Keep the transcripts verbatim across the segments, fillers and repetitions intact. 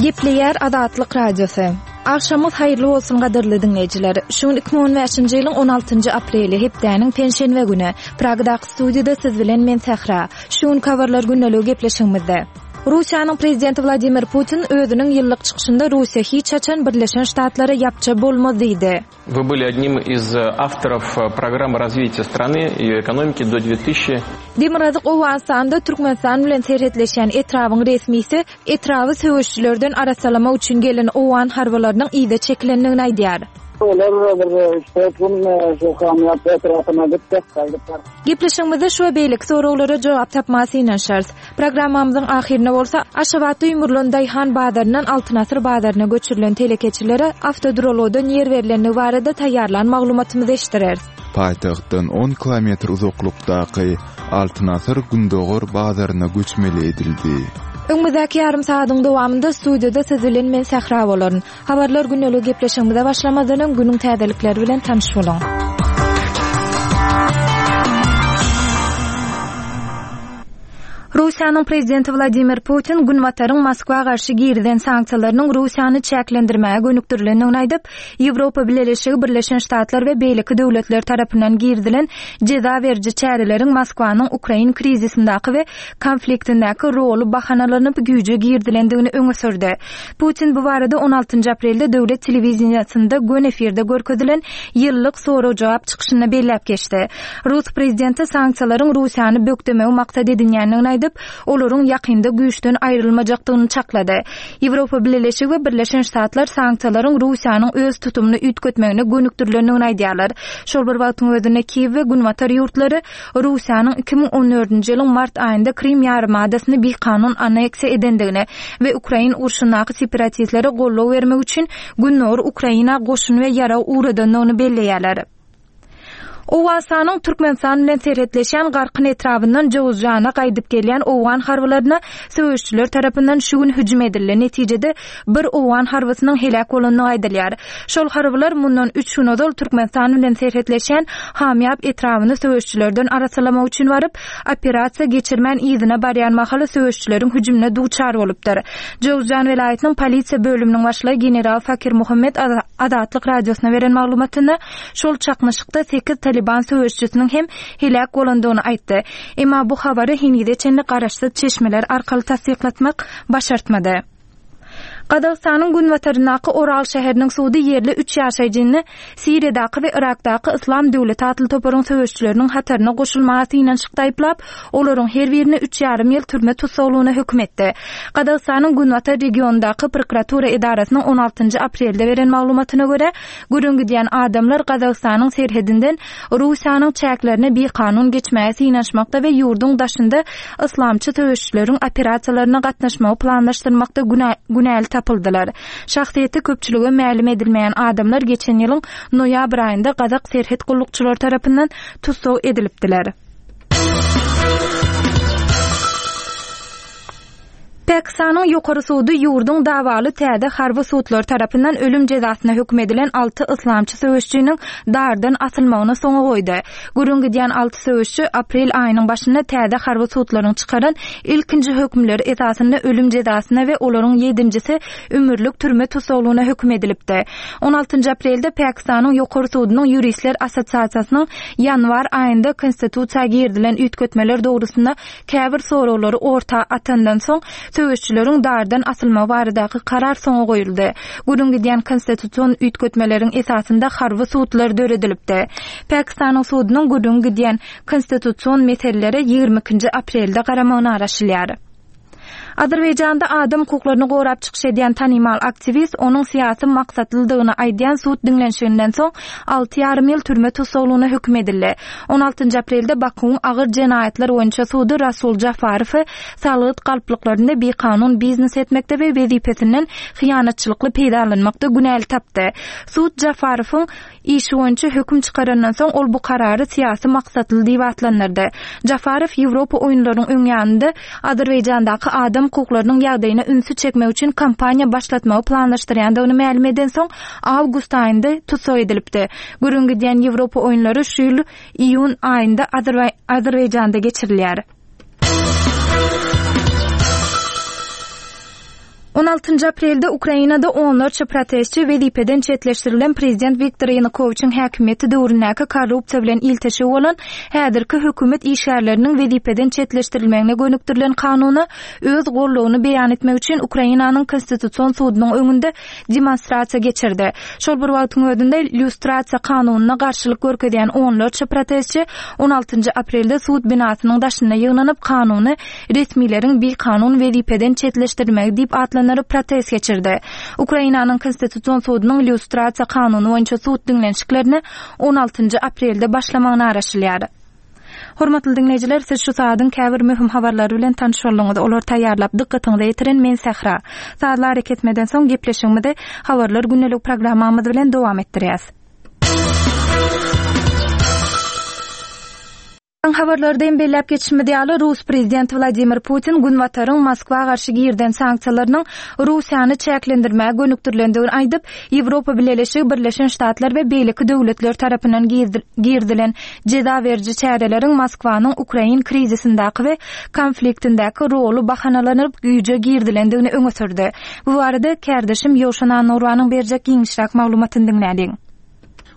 Gepleýär Azatlyk Radiosy. Agşamyňyz haýyrly bolsun gadyrly diňleýjiler. Şu gün iki müň on bäşinji ýylyň on altynjy apreli, hepdäniň penşenbe güni. Pragadaky studiýada siz bilen men Sähra. Şu gün habarlar gündeligi gepleşigimizde. Russiýanyň prezidenti Wladimir Putin özüniň ýyllyk çykyşynda Russiýa hiç haçan Birleşen Ştatlara ýapja bolmaz diýdi. Вы были одним из авторов программы развития страны и ее экономики до две тысячи Demirgazyk Owganystanda Türkmenistan bilen serhetleşýän etrabyň resmisi etraby söweşçilerden arassalamak üçin gelen owgan harbylarynyň yza çekilendigini aýdýar. Olar bir üç dört gün şu kamyýap etrapyna gitdik, gaýdyp. Gepleşigimizde şu we beýleki soraglara jogap tapmaga synanyşarys. Programmamyzyň ahyrynda bolsa Aşgabatda ýumrulan Daýhan bazaryndan Altyn Asyr bazaryna göçürilen telekeçilere awtoduralgadan ýer berilendigi barada taýýarlan maglumatymyzy eşitdireris. Paýtagtdan on kilometr uzaklykdaky Altyn Asyr Gündogar bazaryna göçmeli edildi. Öňümizdäki ýarym saadyň dowamynda studiýada siz bilen men Sähra bolaryn. Habarlar gündelik gepleşigimize başlamazdan öň günüň täzelikleri bilen tanyş boluň. Russiýanyň prezidenti Wladimir Putin Günbataryň Moskwa garşy girizen sanksiýalarynyň Russiýany çäklendirmäge gönükdirilendigini aýdyp, Ýewropa Bileleşigi Birleşen Ştatlar we beýleki döwletler tarapyndan girizilen jeza beriji çäreleriň Moskwanyň Ukrain krizisindäki we konfliktindäki roly bahanalanyp güýje girizilendigini öňe sürdi. Putin bu barada on altynjy aprelde döwlet telewiziyasynda gön efirde görkezilen ýyllyk sorag-jogap çykyşynda belläp geçdi. Rus prezidenti sanksiýalaryň Russiýany bökdemegi maksat edinýändigini aýdyp, olaryň ýakynda güýçden aýrylmajakdygyny çaklady. Ýewropa Bileleşigi we Birleşen Ştatlar sanksiýalaryň Russiýanyň öz tutumyny üýtgetmegine gönükdirilendigini aýdýarlar. Şol bir wagtyň özünde Kiýew we Günbatar ýurtlary Russiýanyň iki müň on dördünji ýylyň mart aýynda Krim ýarymadasyny bikanun anneksiýa edendigini we Ukrain urşundaky separatistlere goldaw bermek üçin Gündogar Ukraina goşun we ýarag ugradandygyny belleýärler. Owganystanyň Türkmenistan bilen serhetleşýän Garkyn etrabyndan Jowuzjana gaýdyp gelýän owgan harbylaryna söweşçiler tarapyndan şu gün hüjüm edildi. Netijede bir owgan harbysynyň heläk bolandygy aýdylýar. Şol harbylar mundan üç gün ozal Türkmenistan bilen serhetleşýän Hamýap etrabyny söweşçilerden arassalamak üçin baryp, operasiýa geçirmän yzyna barýan mahaly söweşçileriň hüjümine duçar bolupdyr. Jowuzjan welaýatynyň polisiýa bölüminiň başlygy general Fakir Muhammed Azatlyk radiosyna beren maglumatynda şol çaknyşykda sekiz Taliban söweşçisiniň hem heläk bolandygyny aýtdy. Emma bu habary henize çenli garaşsyz çeşmeler arkaly tassyklatmak başartmady. Gazagystanyň günbataryndaky Oral şäheriniň sudy ýerli üç ýaşaýjyny Siriýadaky we Irakdaky Islam döwleti atly toparyň söweşçileriniň hataryna goşulmaga synanyşykda aýyplap, olaryň her birini üç ýarym ýyl türme tussaglygyna höküm etdi. Gazagystanyň günbatar regionyndaky prokuratura edarasynyň on altynjy aprelde beren maglumatyna görä, gürrüň gidýän adamlar Gazagystanyň serhedinden Russiýanyň çäklerine bikanun geçmäge synanyşmakda we ýurduň daşynda islamçy söweşçileriň operasiýalaryna gatnaşmagy planlaşdyrmakda günä-, günäli tapyldylar. Şahsyýeti köpçülige mälim edilmeýän adamlar geçen ýylyň noýabr aýynda Gazak serhet gullukçylary tarapyndan tussag edilipdiler. Pakistanyň ýokary sudy ýurduň dawaly täze harby sudlar tarapyndan ölüm jezasyna höküm edilen alty islamçy söweşçiniň dardan asylmagyny soňa goýdy. Gürrüň gidýän alty söweşçi aprel aýynyň başynda täze harby sudlaryň çykaran ilkinji hökümleri esasynda ölüm jezasyna we olaryň ýedinjisi ömürlik türme tussaglygyna höküm edilipdi. on altynjy aprelde Pakistanyň ýokary sudunyň ýuristler assosiasiýasynyň ýanwar aýynda konstitusiýa girizilen üýtgetmeler dogrusynda käbir soraglary orta atandan soň söweşçileriň dardan asylmagy baradaky karar soňa goýuldy. Gürrüň gidýän konstitusion üýtgetmeleriň esasynda harby sudlar döredilipdi. Pakistanyň sudunyň gürrüň gidýän konstitusion meselelere ýigrimi ikinji aprelde garamagyna garaşylýar. Azerbaýjanda adam hukuklaryny gorap çykyş edýän tanymal aktiwist onuň syýasy maksatlydygyny aýdýan sud diňlenişiginden soň alty ýarym ýyl türme tussaglygyna höküm edildi. on altynjy aprelde Bakuwyň agyr jenaýatlar boýunça sudy Rasul Jafarowy salgyt galplyklarynda bikanun biznes etmekde we wezipesinden hyýanatçylykly peýdalanmakda günäli tapdy. Sud Jafarowyň işi boýunça höküm çykarandan soň ol bu karary syýasy maksatly diýip atlandyrdy. Jafarow Ýewropa oýunlarynyň öň ýanynda Azerbaýjandaky adam hukuklarynyň ýagdaýyna ünsi çekmek üçin kampaniýa başlatmagy planlaşdyrýandygyny mälim eden soň awgust aýynda tussag edilipdi. Gürrüň gidýän Ýewropa oýunlary şu ýyl iýun aýynda Azerbaý-, Azerbaýjanda geçirilýär. On altynjy aprelde Ukrainada onlarça protestçi wezipeden çetleşdirilen prezident Wiktor Ýanukowiçiň häkimiýeti döwründäki korrupsiýa bilen ilteşigi bolan häzirki hökümet işgärleriniň wezipeden çetleşdirilmegine gönükdirilen kanuna öz gollugyny beýan etmek üçin Ukrainanyň Konstitusion sudunyň öňünde demonstrasiýa geçirdi. Şol bir wagtyň özünde lýustrasiýa kanunyna garşylyk görkezýän onlarça protestçi on altynjy aprelde sud binasynyň daşynda ýygnanyp kanuny resmileriň bikanun wezipeden çetleşdirilmegi diýip atlandyryp protest geçirdi. Ukrainanyň Konstitusion sudunyň lýustrasiýa kanuny boýunça sud diňlenişiklerine on altynjy aprelde başlamagyna garaşylýar. Hormatly dinleýjiler, siz şu saadyň käbir möhüm habarlary bilen tanyş bolduňyz. Olar taýýarlap dykgatyňyza ýetiren men Sähra. Sazlar etmeden soň gepleşigimizi habarlar gündelik programmamyz bilen dowam etdirýäs. Habarlardan belläp geçişimiz ýaly, Rus prezidenti Wladimir Putin Günbataryň Moskwa garşy girden sanksiýalarynyň Russiýany çäklendirmäge gönükdirilendigini aýdyp, Ýewropa Bileleşigi, Birleşen Ştatlar we beýleki döwletler tarapyndan girdilen jeza beriji çäreleriň Moskwanyň Ukrain krizisindäki we konfliktindäki roly bahanalanyp güýje girdilendigini öňe sürdi. Bu barada kärdeşim Ýowşan Anurwanyň berjek giňişräk maglumatyny diňläliň.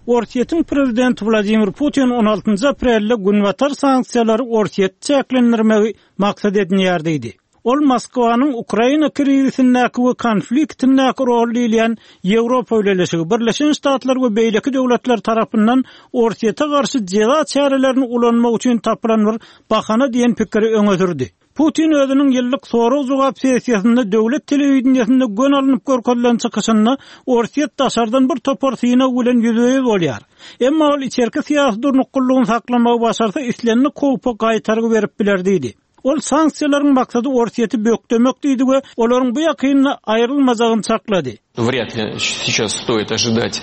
Orsýetiň prezidenti Wladimir Putin on altynjy aprelde Günbatar sanksiýalary Orsýet çäklendirmegi maksat edinýär diýdi. Ol Moskwanyň Ukraina krizisindäki we konfliktindäki rol diýilýän Ýewropa Bileleşigi, Birleşen Ştatlar we beýleki döwletler tarapyndan Orsýete garşy jeza çärelerini ulanmak üçin tapylan bir bahana diýen pikiri öňe sürdi. Putin özüniň ýyllyk sorag-jogap sessiýasynda döwlet telewideniýesinde gön alnyp görkezilen çykyşynda Orsýet daşardan bir topar synag bilen ýüzbe-ýüz bolýar. Emma ol içerki syýasy durnuklylygyny saklamagy başarsa islendik howpa gaýtargy berip biler diýdi. Ol sanksiýalaryň maksady Orsýeti bökdemek diýdi we olaryň bu ýakynda aýrylmajagyny çaklady. Вряд ли сейчас стоит ожидать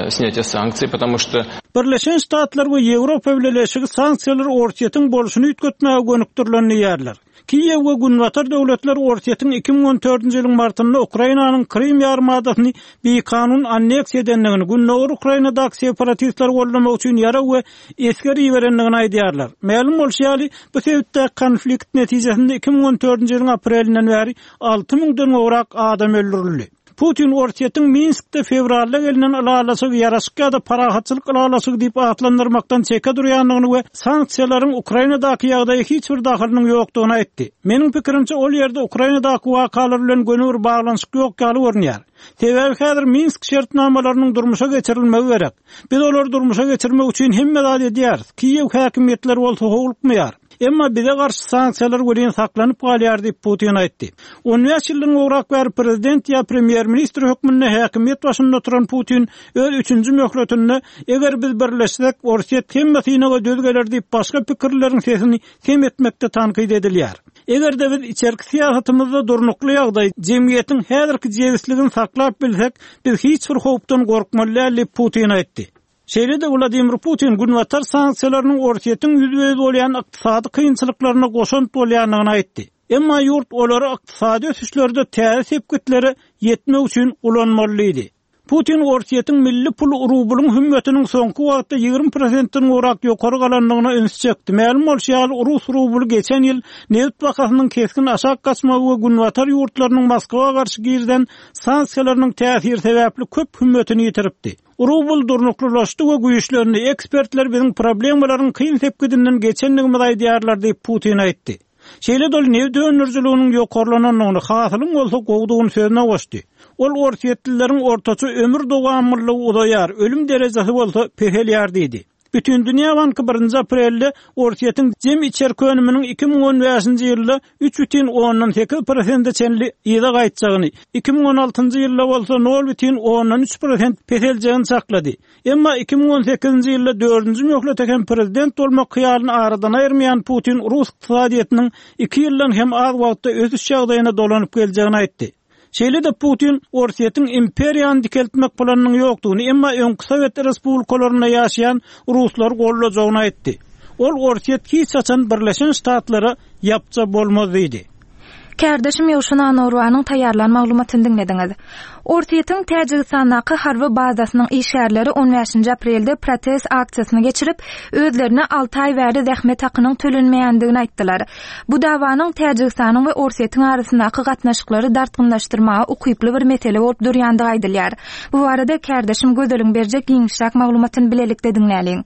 снятия санкций, потому что Birleşen Ştatlar we Ýewropa Bileleşigi sanksiýalary Orsýetiň bolşuny üýtgetmäge gönükdirilen diýýärler. Kiýew we Günbatar döwletler Orsýetiň iki müň on dördünji ýylyň martynda Ukrainanyň Krym ýarymadasyny bikanun anneksiýa edendigini, Gündogar Ukrainadaky separatistleri goldamak üçin ýarag we esger iberendigini aýdýarlar. Mälim bolşy ýaly, bu sebitde konflikt netijesinde iki müň on dördünji ýylyň aprelinden bäri alty müňden gowrak adam öldürildi. Putin Orsýetiň Minskde fewralda gelinen ylalaşygy ýaraşyk ýa-da parahatçylyk ylalaşygy diýip atlandyrmakdan çeke durýandygyny we sanksiýalaryň Ukrainadaky ýagdaýy hiç bir dahylynyň ýokdugyny aýtdy. Meniň pikirimçe ol ýerde Ukrainadaky wakalar bilen göni bir baglanyşyk ýok ýaly görünýär. Sebäbi häzir Minsk şertnamalarynyň durmuşa geçirilmegi gerek. Biz olary durmuşa geçirmek üçin hemme zat edýäris. Kiýew häkimiýetleri bolsa howlukmaýar. Emma bize garşy sanksiýalar welin saklanyp galýar diýip Putin aýtdy. On bäş ýyldan gowrak bäri prezident ýa premýer-ministr hökmünde häkimiýet başynda oturan Putin öz üçünji möhletinde eger biz birleşsek Orsýet hemme synaga döz geler diýip başga pikirleriň sesini sem etmekde tankyt edilýär. Eger de biz içerki syýasatymyzda durnukly ýagdaý jemgyýetiň häzirki jebisligini saklap bilsek, biz hiç bir howpdan gorkmaly däl diýip Putin aýtdy. Şeýle-de Wladimir Putin Günbatar sanksiýalarynyň Orsýetiň ýüzbe-ýüz bolýan ykdysady kynçylyklaryna goşant bolýandygyny aýtdy. Emma ýurt olary ykdysady ösüşlerde täze sepgitlere ýetmek üçin ulanmalydy. Putin Orsýetiň milli pul rublyň hümmetiniň soňky wagtda ýigrimi prosentden gowrak ýokary galandygyna üns çekdi. Mälim bolşy ýaly, rus rubly geçen ýyl neft bahasynyň kesgin aşak gaçmagy we Günbatar ýurtlarynyň Moskwa garşy girden sanksiýalarynyň täsiri sebäpli köp hümmetini ýitiripdi. Rubl durnuklylaşdy we güýçlerini ekspertler biziň problemalaryň kyn sepgidinden geçendigimizi aýdýarlar diýip Putin aýtdy. Şeýle-de ol neft öndürijiliginiň ýokarlanandygyny, hasylyň bolsa gowdugyny sözüne goşdy. Ol Orsýetlileriň ortaça ömür dowamlylygy uzaýar, ölüm derejesi bolsa peselýär diýdi. Bütün Dünýä Banky birinji aprelde Orsýetiň jem içerki önüminiň iki müň on bäşinji ýylda üç bütin ondan sekiz prosente çenli yza gaýtjagyny, iki müň on altynjy ýylda bolsa nol bütin ondan üç prosent peseljegini çaklady. Emma iki müň on sekizinji ýylda dördünji möhlete hem prezident bolmak hyýalyny aradan aýyrmaýan Putin Rus ykdysadyýetiniň iki ýyldan hem az wagtda ösüş ýagdaýyna dolanyp geljegini aýtdy. Şeýle-de Putin Orsýetiň imperiýany dikeltmek planynyň ýokdugyny, emma öňki Sowet Respublikalarynda ýaşaýan ruslar gollajagyny aýtdy. Ol Orsýet hiç haçan Birleşen Ştatlara ýapja bolmaz diýdi. Kärdeşim Ýowşan Annagurbanyň taýýarlan maglumatyny diňlediňiz. Orsýetiň Täjigistandaky harby bazasynyň işgärleri on bäşinji aprelde protest aksiýasyny geçirip, özlerine alty aý bäri zähmet hakynyň tölenmeýändigini aýtdylar. Bu dawanyň Täjigistanyň we Orsýetiň arasyndaky gatnaşyklary dartgynlaşdyrmaga ukyply bir mesele bolup durýandygy aýdylýar. Bu barada kärdeşim Gözeliň berjek giňişräk maglumatyny bilelikde diňläliň.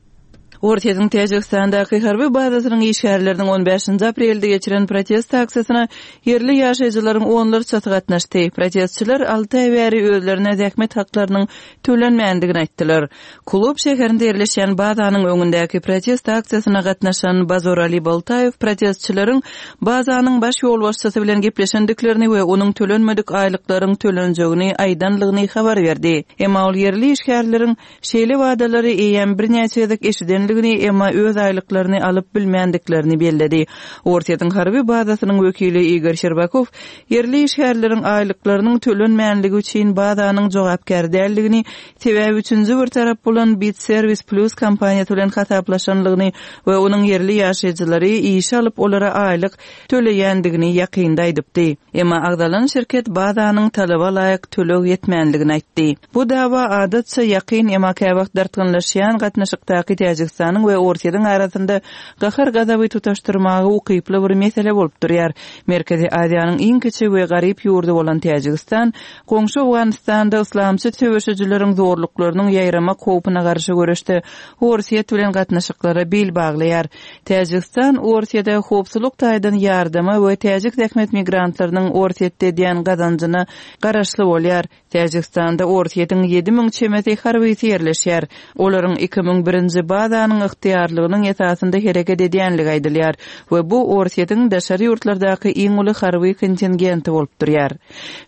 Orsýetiň Täjigistandaky harby bazasynyň işgärleriniň on bäşinji aprelde geçiren protest aksiýasyna ýerli ýaşaýjylaryň onlarçasy gatnaşdy. Protestçiler alty aý bäri özlerine zähmet haklarynyň tölenmändigini aýtdylar. Kulob şäherinde ýerleşýän bazanyň öňündäki protest aksiýasyna gatnaşan Bazorali Boltaýew protestçileriň bazanyň baş ýolbaşçysy bilen gepleşendiklerini we onuň tölenmedik aýlyklaryň tölenjegini aýdanlygyny habar berdi. Emma ol ýerli işgärleriň şeýle wadalary eýýäm birnäçe gezek eşidenligini, emma öz aýlyklaryny alyp bilmändiklerini belledi. Orsýetiň harby bazasynyň wekili Igor Şerbakow ýerli işgärleriň aýlyklarynyň tölenmänligi üçin bazanyň jogapkär däldigini, sebäbi üçünji bir tarap bolan Bit Service Plus kompaniýasy bilen hasaplaşanlygyny we onuň ýerli ýaşaýjylary işe alyp olara aýlyk töleýändigini ýakynda aýdypdy. Emma agzalan şirket bazanyň talaba laýyk töleg ýetmänligini aýtdy. Bu dawa adatça ýakyn emma käwagt dartgynlaşýan gatnaşykdaky Täjigistanyň we Orsýetiň arasynda gahar gazaby tutaşdyrmaga ukyply bir mesele bolup durýar. Merkezi Aziýanyň iň kiçi we garyp ýurdy bolan Täjigistan goňşy Owganystanda yslamçy söweşijileriň zorluklarynyň ýaýramak howpuna garşy göreşde Orsýet bilen gatnaşyklara bil baglaýar. Täjigistan Orsýete howpsuzlyk taýdan ýardama we täjik zähmet migrantlarynyň Orsýetde edýän gazanjyna garaşly bolýar. Täjigistanda Orsýetiň ýedi müň çemesi harbysy ýerleşýär. Olaryň iki müň birinji bazanyň ygtyýarlygynyň esasynda hereket edýänligi aýdylýar we bu Orsýetiň daşary ýurtlardaky iň uly harby kontingenti bolup durýar.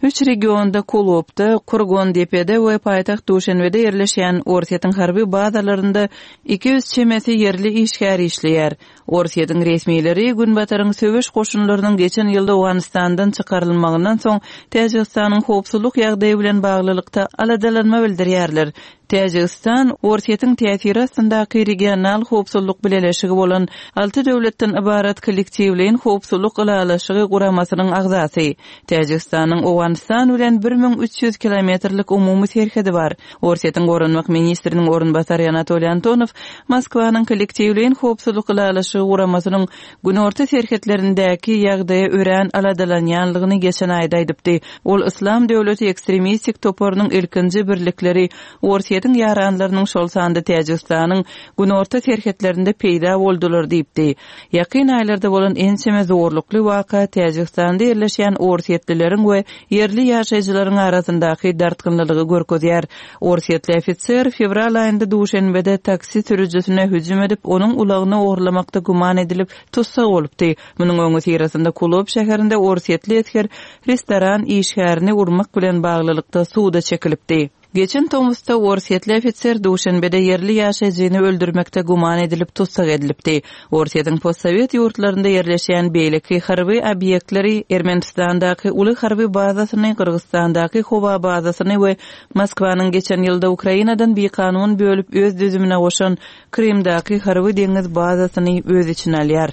Üç regionda Kulopda, Kurgondepede we paýtagt Duşenbede ýerleşýän Orsýetiň harby bazalarynda iki ýüz çemesi ýerli işgär işleýär. Orsýetiň resmileri Günbataryň söweş goşunlarynyň geçen ýylda Owganystandan çykarylmagyndan soň Täjigistanyň howpsuzlyk ýagdaýy bilen baglylykda aladalanma bildirýärler. Täjigistan Orsýetiň täsiri astyndaky regional howpsuzlyk bileleşigi bolan alty döwletden ybarat kollektiwleýin howpsuzlyk ylalaşygy guramasynyň agzasy. Täjigistanyň Owganystan bilen bir müň üç ýüz kilometrlik umumy serhedi bar. Orsýetiň goranmak ministriniň orunbasary Anatoliy Antonow Moskwanyň kollektiwleýin howpsuzlyk ylalaşygy guramasynyň günorta serhetlerindäki ýagdaýa örän aladalanýanlygyny geçen aýda aýdypdy. Ol Yslam döwleti ekstremistik toparynyň ilkinji birlikleri Orsýetiň ýaranlarynyň şol sanda Täjigistanyň günorta serhetlerinde peýda boldular diýipdi. Ýakyn aýlarda bolan ençeme zorlukly waka Täjigistanda ýerleşýän orsýetlileriň we ýerli ýaşaýjylaryň arasyndaky dartgynlylygy görkezýär. Orsýetli ofiser fewral aýynda Duşenbede taksi sürüjisine hüjüm edip, onuň ulagyny ogurlamakda güman edilip tussag bolupdy. Munuň öňi syrasynda Kulob şäherinde orsýetli esger restoran işgärini urmak bilen baglylykda suda çekilipdi. Geçen tomusda orsýetli ofiser Duşenbede ýerli ýaşaýjyny öldürmekde güman edilip tussag edilipdi. Orsýetiň postsowet ýurtlarynda ýerleşýän beýleki harby obýektleri Ermenistandaky uly harby bazasyny, Gyrgyzstandaky howa bazasyny we Moskwanyň geçen ýylda Ukrainadan bikanun bölüp öz düzümine goşan Krymdaky harby deňiz bazasyny öz içine alýar.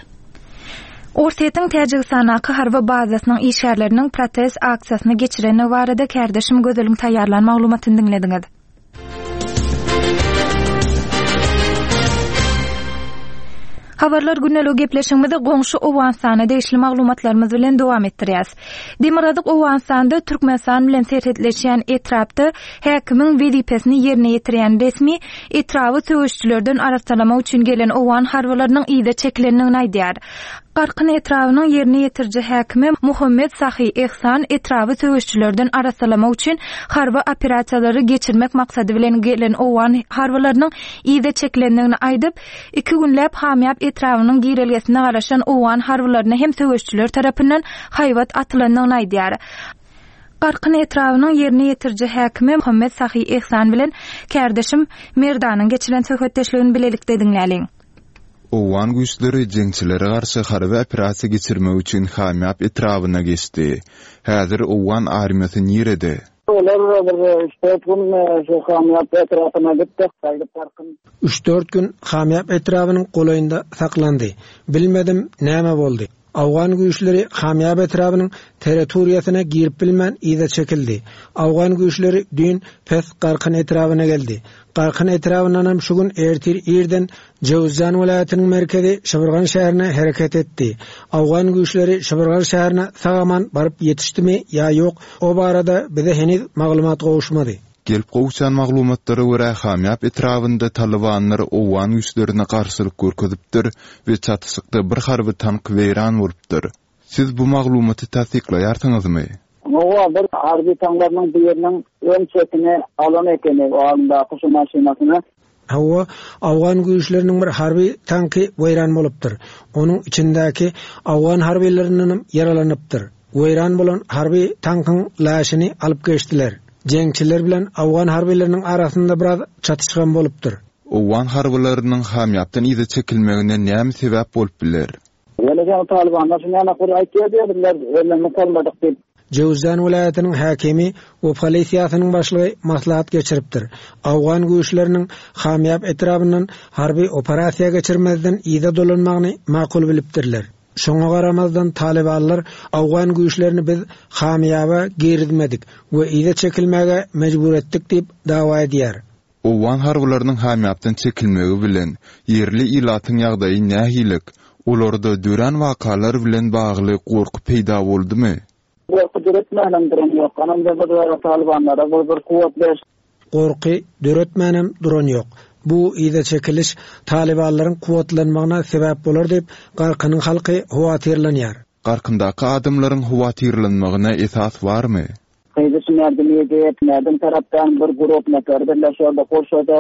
Orsýetiň Täjigistandaky harby bazasynyň işgärleriniň protest aksiýasyny geçireni barada kärdeşim Gözeliň taýýarlan maglumatyny diňlediňiz. Habarlar günlük gepleşigimizi goňşy Owganystana degişli maglumatlarymyz bilen dowam etdirýäs. Demirgazyk Owganystanda Türkmenistan bilen serhetleşýän etrapda häkimiň wezipesini ýerine ýetirýän resmi etraby söweşçilerden arassalamak üçin gelen Owgan harbylarynyň yza çekilendigini aýdýar. Garkyn etrabynyň ýerine ýetiriji häkimi Muhammed Sahi Ehsan etraby söweşçilerden arassalamak üçin harby operasiýalary geçirmek maksady bilen gelen Owgan harbylarynyň yza çekilendigini aýdyp, iki günläp Hamýap etrabynyň girelgesine garaşan Owgan harbylaryna hem söweşçiler tarapyndan haýbat atylandygyny aýdýar. Garkyn etrabynyň ýerine ýetiriji häkimi Muhammed Sahi Ehsan bilen kärdeşim Merdanyň geçiren söhbetdeşligini bilelikde diňläliň. Owgan güýçleri jeňçilere garşy harby operasiýa geçirmek üçin Hamýap etrabyna geçdi. Häzir Owgan armiýasy nirede? Olar bir üç dört gün şu Hamýap etrapyna gitdi, gaýdyp Garkyn. Üç dört gün Hamýap etrabynyň golaýynda saklandy. Bilmedim näme boldy. Owgan güýçleri Hamýap etrabynyň territoriýasyna girip bilmän yza çekildi. Owgan güýçleri düýn pes Garkyn etrabyna geldi. Garkyn etrabyndanam şu gün ertir irden Jöwüzjan welaýatynyň merkezi Şybyrgan şäherine hereket etdi. Owgan güýçleri Şybyrgan şäherine sag-aman baryp ýetişdimi ýa ýok, o barada bize heniz maglumat gowuşmady. Gelip gowşan maglumatlara görä, Hamýap etrabynda talybanlar owgan güýçlerine garşylyk görkezipdir we çatyşykda bir harby tank weýran bolupdyr. Siz bu maglumaty tassyklaýarsyňyzmy? Hawa, bir harby tanklarynyň biriniň öň çetini alan ekeni, o alyndaky şu maşynasyny. Hawa, owgan güýçleriniň bir harby tanky weýran bolupdyr. Onuň içindäki owgan harbylerindenem ýaralanypdyr. Weýran bolan harby tankyň laşyny alyp geçdiler. Jeňçiler bilen owgan harbylarynyň arasynda biraz çatyşgam bolupdyr. Owgan harbylarynyň Hamýapdan yza çekilmegine näme sebäp bolup biler? Ýöne ýaňy talybanlar şu näme bir aýtýar diýdiler, ellerini salmadyk diýip. Jöwüzjan welaýatynyň häkimi we polisiýasynyň başlygy maslahat geçiripdir. Owgan güýçleriniň Hamýap etrabyndan harby operasiýa geçirmezden yza dolanmagyny makul bilipdirler. Şoňa garamazdan talybanlar owgan güýçlerini biz Hamýaba girizmedik we yza çekilmäge mejbur etdik diýip dawa edýär. Owgan harbylarynyň Hamýapdan çekilmegi bilen ýerli ilatyň ýagdaýy nähili? Olarda dörän wakalar bilen bagly gorky peýda boldumy? Gorky döretmänem duran ýok. Anam da bir talybanlara bir bir kuwwat ber. Gorky döretmänem duran ýok. Bu yza çekiliş talybanlaryň kuwwatlanmagyna sebäp bolar diýip Garkynyň halky howatyrlanýar. Garkyndaky adamlaryň howatyrlanmagyna esas barmy? Gyzy şunerdi diýip, näden tarapdan bir grup nefer birleşýär, goşady.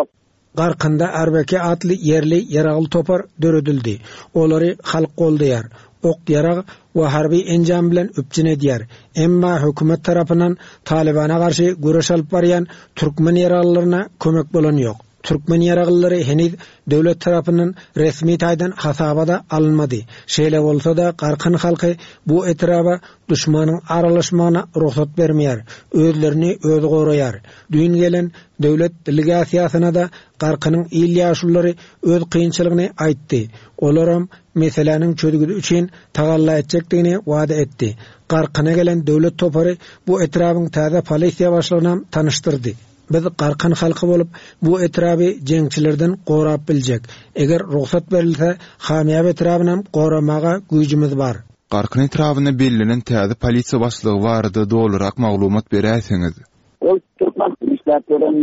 Garkynda Arbeke atly ýerli ýaragly topar döredildi. Olary halk goldaýar. Ok ýarag we harby enjam bilen üpjün edýär. Emma hökümet tarapyndan Talibana garşy göreş alyp barýan türkmen ýaraglylaryna kömek bolan ýok. Türkmen ýaraglylary heniz döwlet tarapyndan resmi taýdan hasabada alynmady. Şeýle bolsa-da Garkyn halky bu etraba düşmanyň aralaşmagyna rugsat bermeýär. Özlerini özi goraýar. Düýn gelen döwlet delegasiýasyna da Garkynyň il ýaşululary öz kynçylygyny aýtdy. Olaram meseläniň çözgüdi üçin tagalla etjekdigini wada etdi. Garkyna gelen döwlet topary bu etrabyň täze polisiýa başlygyna tanyşdyrdy. Biz Garkyn halky bolup bu etraby jeňçilerden gorap biljek. Eger rugsat berilse, Hamýap etrabynam goramaga güýjümiz bar. Garkyn etrabyna bellenen täze polisiýa başlygy barada dolurak maglumat beräýseňiz. Ol türkmen işläp gören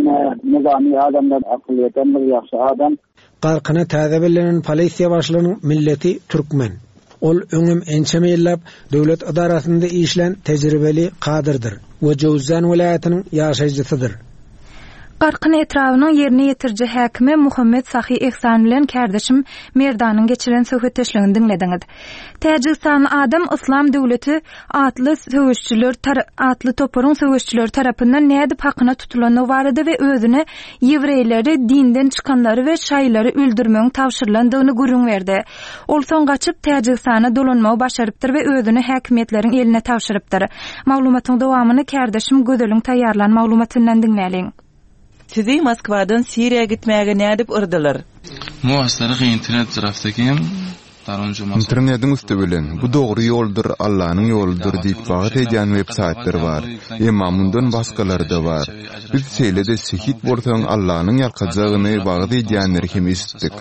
nizami adamlar akyl ýeten bir ýagşy adam. Garkyna täze bellenen polisiýa başlygynyň milleti türkmen. Ol öňüm ençeme ýyllap döwlet idarasynda işlän tejribeli kadrdyr we Jöwüzjan welaýatynyň ýaşaýjysydyr. Garkyn etrabynyň ýerine ýetiriji häkimi Muhammet Sahy Ehsan bilen kärdeşim Merdanyň geçiren söhbetdeşligini diňlediňiz. Täjigistanly adam Islam döwleti atly söweşçiler atly toparyň söweşçileri tarapyndan nädip hakyna tutulandygy barada we özüne ýewreýleri, dinden çykanlary we şaýlary öldürmegiň tabşyrylandygyny gürrüň berdi. Ol soň gaçyp Täjigistana dolanmagy başarypdyr we özüni häkimiýetleriň eline tabşyrypdyr. Maglumatyň dowamyny kärdeşim Gözeliň taýýarlan maglumatyndan diňläliň. Sizi Moskwadan Siriýa gitmäge nädip yrdylar? Internetiň üsti bilen bu dogry ýoldur, Allanyň ýoludyr diýip wagyz edýän web-saýtlar bar. Emma mundan başgalary-da bar. Biz şeýle-de şehit bolsaň Allanyň ýalkajagyny wagyz edýänleri hem eşitdik.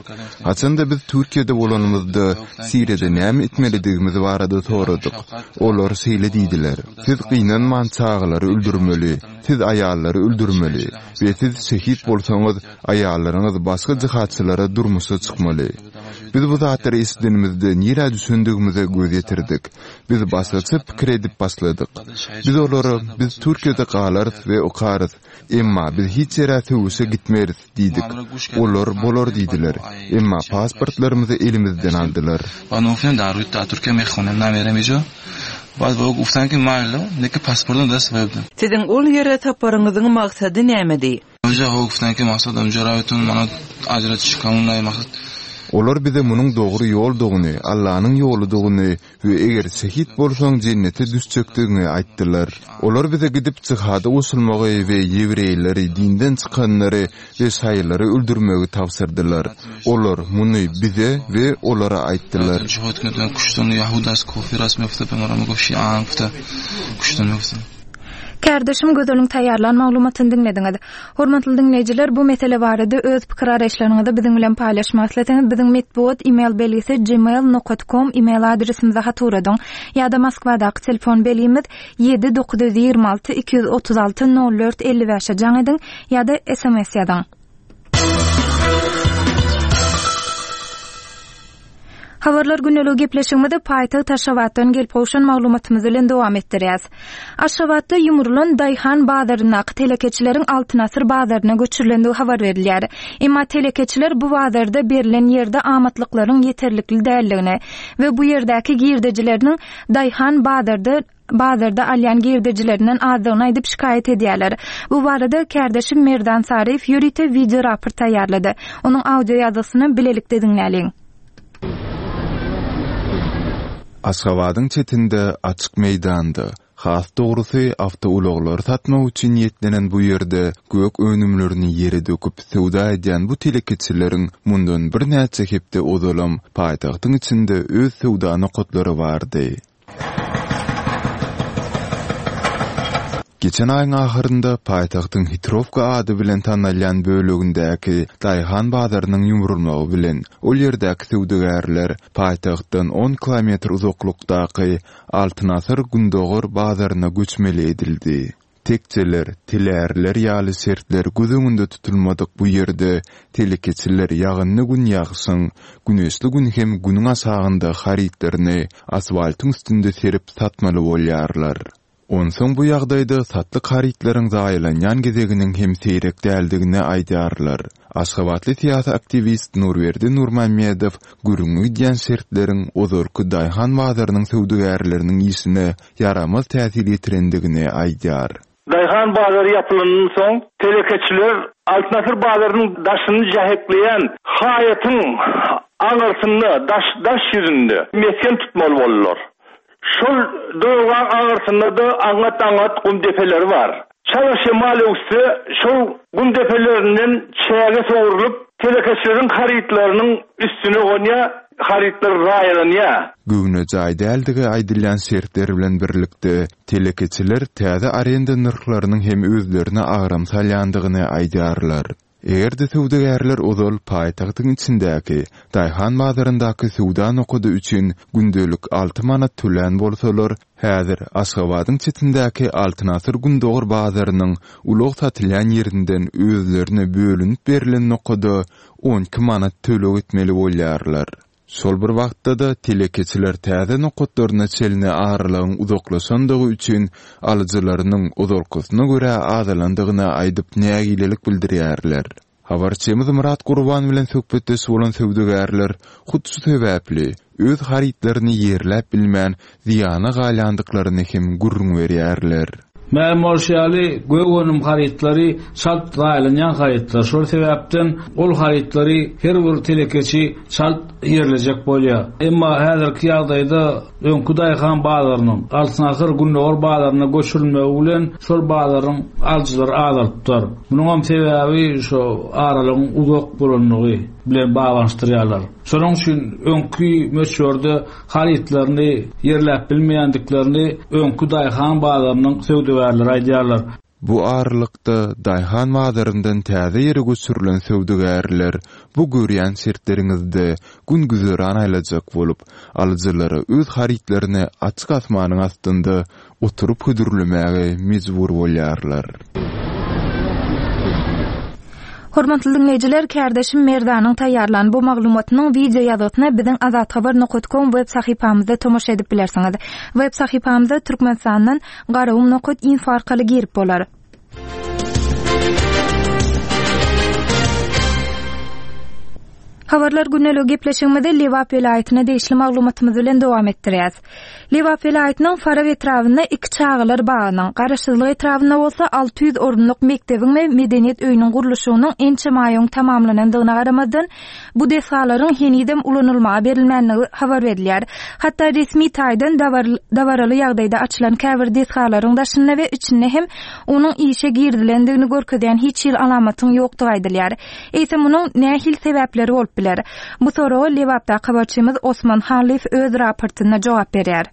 Haçanda biz Türkiýede bolanymyzda Siriýada näme etmelidigimiz barada soradyk. Olar şeýle diýdiler: Siz gynanman çagalary öldürmeli, siz aýallary öldürmeli we siz şehit bolsaňyz aýallaryňyz başga jihatçylara durmuşa çykmaly. Biz bu zatlary eşidenimizde nirä düşündigimize göz ýetirdik. Biz başgaça pikir edip başladyk. Biz olara biz Türkiýede galarys we okarys. Emma biz hiç ýere söweşe gitmeris diýdik. Olar bolar diýdiler. Emma pasportlarymyzy elimizden aldylar. Siziň ol ýere saparyňyzyň maksady nämedi? Olar bize munuň dogry ýoldugyny, Allanyň ýoludygyny we eger şehit bolsaň jennete düşjekdigiňi aýtdylar. Olar bize gidip jihada goşulmagy we ýewreýleri, dinden çykanlary we şaýylary öldürmegi tabşyrdylar. Olar muny bize we olara aýtdylar. Kärdeşim Gözeliň taýýarlan maglumatyny diňlediňiz. Hormatly diňleýjiler, bu mesele barada öz pikir araýyşlaryňyzy biziň bilen paýlaşmak isleseňiz, biziň metbugat e-mail belgisi gmail nokta com e-mail adresimize hat ugradyň. Ýa-da Moskwadaky telefon belgimiz ýedi dokuz ýüz ýigrimi alty iki ýüz otuz alty nol dört elli bäşe jaň ediň ýa-da S M S ýazyň. Habarlar günlügi gepleşigimizi paýtagt Aşgabatdan gelip gowşan maglumatymyz bilen dowam etdirýäs. Aşgabatda ýumrulan Daýhan bazaryndaky telekeçileriň Altyn Asyr bazaryna göçürilendigi habar berilýär. Emma telekeçiler bu bazarda berilen ýerde amatlyklaryň ýeterlikli däldigini we bu ýerdäki girdejileriniň Daýhan bazarda bazarda alýan girdejilerinden azdygyny aýdyp şikaýat edýärler. Bu barada kärdeşim Merdan Saryýew ýörite video raport taýýarlady. Onuň audio ýazgysyny bilelikde diňläliň. Aşgabadyň çetinde açyk meýdanda, has dogrusy awtoulaglary satmak üçin niýetlenen bu ýerde gök önümlerini ýere döküp söwda edýän bu telekeçileriň mundan birnäçe hepde ozalam paýtagtyň içinde öz söwda nokatlary bardy. Geçen aýyň ahyrynda paýtagtyň Hitrowka ady bilen tanalýan bölegindäki Daýhan bazarynyň ýumrulmagy bilen ol ýerdäki söwdagärler paýtagtdan on kilometr uzaklykdaky Altyn Asyr Gündogar bazaryna göçmeli edildi. Tekçeler, telärler ýaly şertler göz öňünde tutulmadyk bu ýerde telekeçiler ýagynly gün ýagşyň, güneşli gün hem günüň aşagynda harytlaryny asfaltyň üstünde serip satmaly bolýarlar. Onsoň bu ýagdaýda satlyk harytlaryň zaýalanýan gezeginiň hem seýrek däldigini aýdýarlar. Aşgabatly syýasy aktiwist Nurberdi Nurmamedow gürrüňi gidýän şertleriň ozalky Daýhan bazarynyň söwdagärleriniň işine ýaramaz täsir ýetirendigini aýdýar. Daýhan bazary ýapylandan soň telekeçiler Altyn Asyr bazarynyň daşyny jähekleýän haýatyň aňyrsynda, daş, daş ýüzünde mesgen tutmaly boldular. Şol döwran aňyrsynda da aňat-aňat gum depeleri bar. Çala şemal öwse şol gum depelerinden çäge sowrulyp telekeçileriň harytlarynyň üstüne gonýar, harytlar zaýalanýar. Göwne jaý däldigi aýdylýan şertler bilen birlikde telekeçiler täze arenda nyrhlarynyň hem özlerine agram salýandygyny aýdýarlar. Eger-de söwdagärler ozal paýtagtyň içindäki Daýhan bazaryndaky söwda nokady üçin gündelik alty manat tölän bolsalar, häzir Aşgabadyň çetindäki Altyn Asyr Gündogar bazarynyň ulag satylýan ýerinden özlerine bölünip berlen nokada on iki manat töleg etmeli bolýarlar. Şol bir wagtda-da telekeçiler täze nokatlaryna çenli aralygyň uzaklaşandygy üçin alyjylarynyň ozalkysyna görä azalandygyny aýdyp nägilelik bildirýärler. Habarçymyz Murat Gurban bilen söhbetdeş bolan söwdagärler hut şu sebäpli öz harytlaryny ýerläp bilmän zyýana galýandyklaryny hem gürrüň berýärler. Mälim bolşy ýaly, gök önüm harytlary çalt zaýalanýan harytlar. Şol sebäpden ol harytlary her bir telekeçi çalt ýerlejek bolýar. Emma häzirki ýagdaýda öňkü Daýhan bazarynyň Altyn Asyr Gündogar bazaryna göçürilmegi bilen şol bazaryň alyjylary azalypdyr. Munuň hem sebäbi şu aralygyň uzak bolanlygy bilen baglanyşdyrýarlar. Şonuň üçin öňkü möçberde harytlaryny ýerläp bilmeýändiklerini öňkü Daýhan bazarynyň söwdagärleri aýdýarlar. Bu aralykda Daýhan bazaryndan täze ýere göçürilen söwdagärler bu görýän şertleriňizde gün güzeran aýlajak bolup, alyjylara öz harytlaryny açyk asmanyň astynda oturyp hödürlemäge mejbur bolýarlar. Hormatly dinleýjiler, kärdeşim Merdanyň taýýarlan bu maglumatynyň video ýazgysyna biziň azathabar nokta com web sahypamyzda tomaşa edip bilersiňiz. Web sahypamyza Türkmenistandan garagum nokta info arkaly girip bolar. Habarlar günlük gepleşigimizi Lebap welaýatyna degişli maglumatymyz bilen dowam etdirýäs. Lebap welaýatynyň Farap etrabynda iki çagalar bagynyň, Garaşsyzlyk etrabynda bolsa alty ýüz orunlyk mekdebiň we medeniýet öýüniň gurluşygynyň ençeme aýyň tamamlanandygyna garamazdan, bu desgalaryň henizem ulanylmaga berilmänligi habar berilýär. Hatda resmi taýdan dabaraly ýagdaýda açylan käbir desgalaryň daşynda we içinde hem onuň işe girizilendigini görkezýän hiç hil alamatyň ýokdugy aýdylýar. Eýse munuň nähili sebäpleri bolup biler? Bu soraga Lebapda habarçymyz Osman Halyf öz raportynda jogap berýär.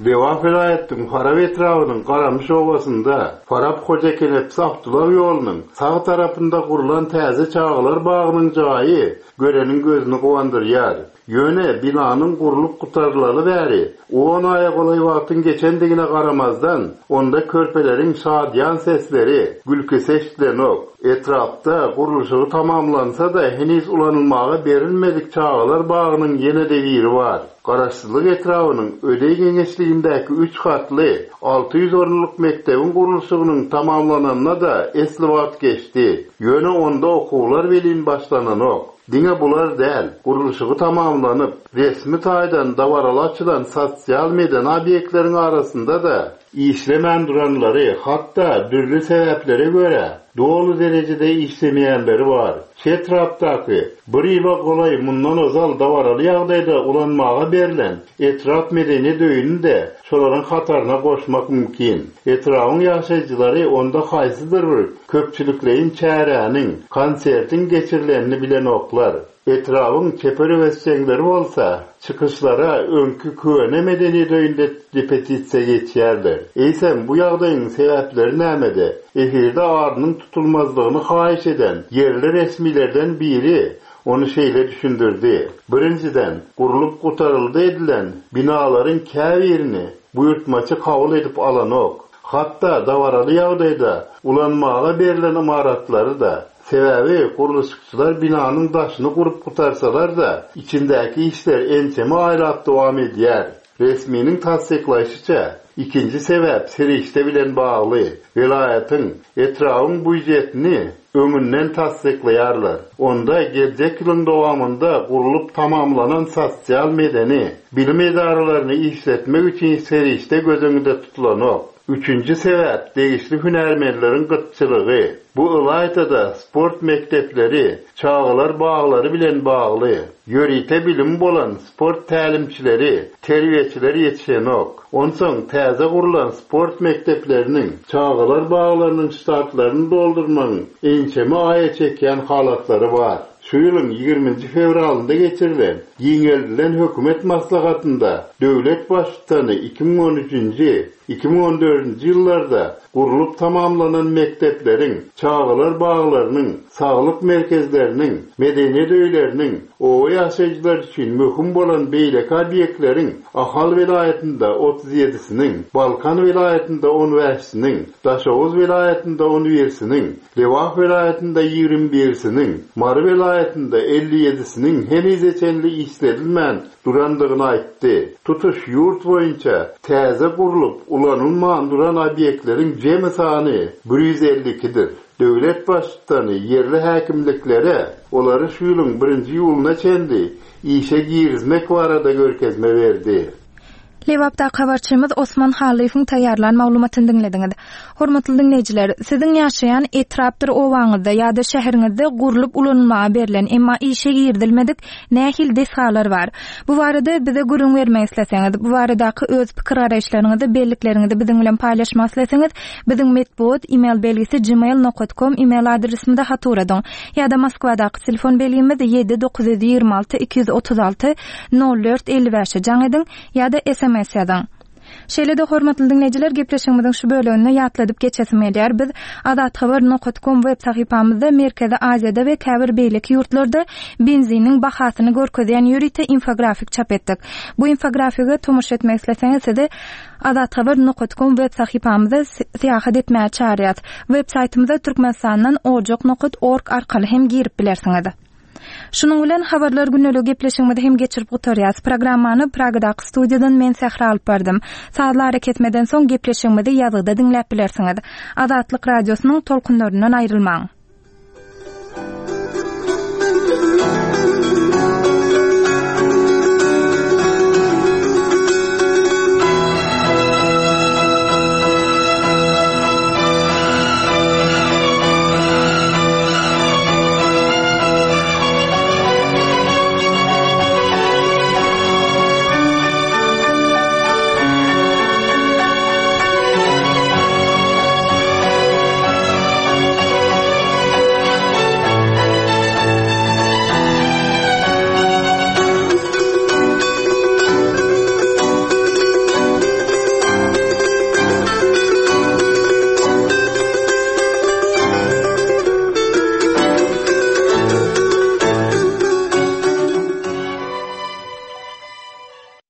Lebap welaýatynyň Farap etrabynyň Garamyş obasynda Farap Hojakenepsi awtoulаг ýolunyň sag tarapynda gurlan täze çagalar bagynyň jaýy göreniň gözüni guwandyrýar. Ýöne binanyň gurlup gutarylaly bäri on aýa golaý wagtyň geçendigine garamazdan, onda körpeleriň şadyýan sesleri, gülküsi eşidilenok. Etrapda gurluşygy tamamlansa-da heniz ulanylmaga berilmedik çagalar bagynyň ýene-de biri bar. Garaşsyzlyk etrabynyň Ödeý geňeşligindäki üç gatly alty ýüz orunlyk mekdebiň gurluşygynyň tamamlananyna-da esli wagt geçdi. Ýöne onda okuwlar welin başlananok. Diňe bular däl, gurluşygy tamamlanyp, resmi taýdan dabaraly açylan sosial medeni obyektleriň arasynda-da işlemän duranlary, hatda dürli sebäplere görä doly derejede işlemeýänleri bar. Şu etrapdaky bir ýyla golaý mundan ozal dabaraly ýagdaýda ulanmaga berlen etrap medeniýet öýüni de şolaryň hataryna goşmak mümkin. Etrabyň ýaşaýjylary onda haýsydyr bir köpçülikleýin çäräniň, konsertiň geçirilenini bilenoklar. Etrabyň çeper öwezçeňleri bolsa, çykyşlara öňki köne medeniýet öýünde repetisiýa geçýärler. Eýsem, bu ýagdaýyň sebäpleri nämede? Efirde adynyň tutulmazlygyny haýyş eden ýerli resmilerden biri ony şeýle düşündirdi. Birinjiden, gurlup gutaryldy edilen binalaryň käbirini buýurtmaçy kabul edip alanok. Hatda dabaraly ýagdaýda ulanmaga berlen ymaratlary da, sebäbi gurluşykçylar binanyň daşyny gurup gutarsalar da, içindäki işler ençeme aýlap dowam edýär. Resminiň tassyklaýşyça, ikinji sebäp serişde bilen bagly. Welaýatyň, etrabyň býujetini öňünden tassyklaýarlar. Onda geljek ýylyň dowamynda gurlup tamamlanan sosial medeni bilim edaralaryny işletmek üçin serişde göz öňünde tutulanok. Üçünji sebäp degişli hünärmenleriň gytçylygy. Bu ylaýtada sport mekdepleri, çagalar baglary bilen bagly. Ýörite bilim bolan sport tälimçileri, terbiýeçiler ýetişenok. Onsoň täze gurlan sport mekdepleriniň, çagalar baglarynyň ştatlaryny doldurmagyň ençeme aýa çekýän halatlary bar. Şu ýylyň ýigriminji fewralynda geçirilen giňeldilen hökümet maslahatynda döwlet baştutany iki müň on üçünji, iki müň on dördünji ýyllarda gurlup tamamlanan mekdepleriň, çagalar baglarynyň, saglyk merkezleriniň, medeniýet öýleriniň, oba ýaşaýjylar üçin möhüm bolan beýleki obyektleriň Ahal welaýatynda otuz ýedisiniň, Balkan welaýatynda on bäşisiniň, Daşoguz welaýatynda on birisiniň, Lebap welaýatynda ýigrimi birisiniň, Mary welaýatynda elli ýedisiniň henize çenli işledilmän durandygyny aýtdy. Tutuş ýurt boýunça täze gurlup ulanylman duran obyektleriň jemi sany bir ýüz elli ikidir. Döwlet baştutany ýerli häkimliklere olary şu ýylyň birinji ýyluna çenli işe girizmek barada görkezme berdi. Lebapda habarçymyz Osman Halyfyň taýýarlan maglumatyny diňlediňiz. Hormatly diňleýjiler, siziň ýaşaýan etrapdyr owaňyzda ýa-da şäheriňizde gurlup ulanylmaga berlen, emma işe girizilmedik nähili desgalar bar? Bu barada bize gürrüň bermek isleseňiz, bu baradaky öz pikir garaýyşlaryňyzy, bellikleriňizi biziň bilen paýlaşmak isleseňiz, biziň metbugat e-mail belgisi gmail nokta com e-mail adresimize hat ugradyň. Ýa-da Moskwadaky telefon belgimiz ýedi dokuz ýüz ýigrimi alty iki ýüz otuz alty nol dört elli bäşe jaň ediň ýa-da S M S ýazyň. Şeýle-de hormatly diňleýjiler, gepleşigimiziň şu bölüminde ýatladyp geçesim gelýär. Biz azathabar nokta com web sahypamyzda Merkezi Aziýada we käbir beýleki ýurtlarda benziniň bahasyny görkezýän ýörite infografik çap etdik. Bu infografige tomaşa etmek isleseňiz sizi azathabar nokta com web sahypamyzda syýahat etmäge çağırýarys. Web saýtymyza Türkmenistandan ojak nokta org arkaly hem girip bilersiňiz. Şunuň bilen habarlar günlügi gepleşigimizi hem geçirip gutarýarys. Programmany Pragadaky studiýadan men Sähra alyp bardym. Sazly hareketmeden soň gepleşigimizi ýazgyda diňläp bilersiňiz. Azatlyk radiosynyň tolkunlaryndan aýrylmaň.